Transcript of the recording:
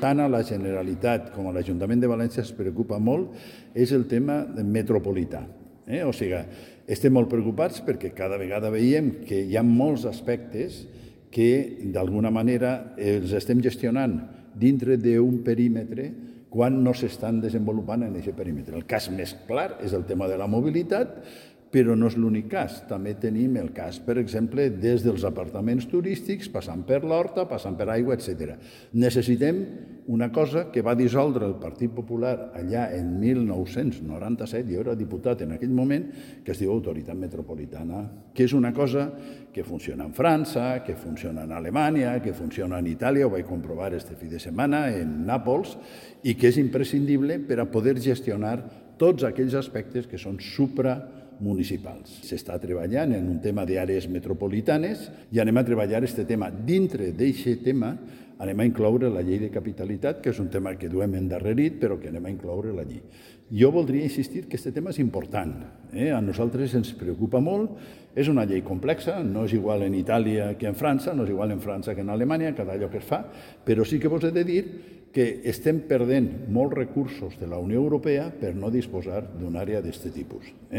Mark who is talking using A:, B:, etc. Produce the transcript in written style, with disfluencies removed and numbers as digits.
A: Tant a la Generalitat com a l'Ajuntament de València es preocupa molt és el tema metropolità. O sigui, estem molt preocupats perquè cada vegada veiem que hi ha molts aspectes que d'alguna manera els estem gestionant dintre d'un perímetre quan no s'estan desenvolupant en aquest perímetre. El cas més clar és el tema de la mobilitat, però no és l'únic cas. També tenim el cas, per exemple, des dels apartaments turístics, passant per l'horta, passant per aigua, etc. Necessitem una cosa que va dissoldre el Partit Popular allà en 1997, jo era diputat en aquell moment, que es diu Autoritat Metropolitana, que és una cosa que funciona en França, que funciona en Alemanya, que funciona en Itàlia, ho vaig comprovar este fi de setmana, en Nàpols, i que és imprescindible per a poder gestionar tots aquells aspectes que són supramunicipals. S'està treballant en un tema d'àrees metropolitanes i anem a treballar aquest tema. Dintre d'aquest tema anem a incloure la llei de capitalitat, que és un tema que duem endarrerit, però que anem a incloure la llei. Jo voldria insistir que aquest tema és important. A nosaltres ens preocupa molt. És una llei complexa, no és igual en Itàlia que en França, no és igual en França que en Alemanya, cada allò que es fa, però sí que vos he de dir que estem perdent molts recursos de la Unió Europea per no disposar d'una àrea d'aquest tipus.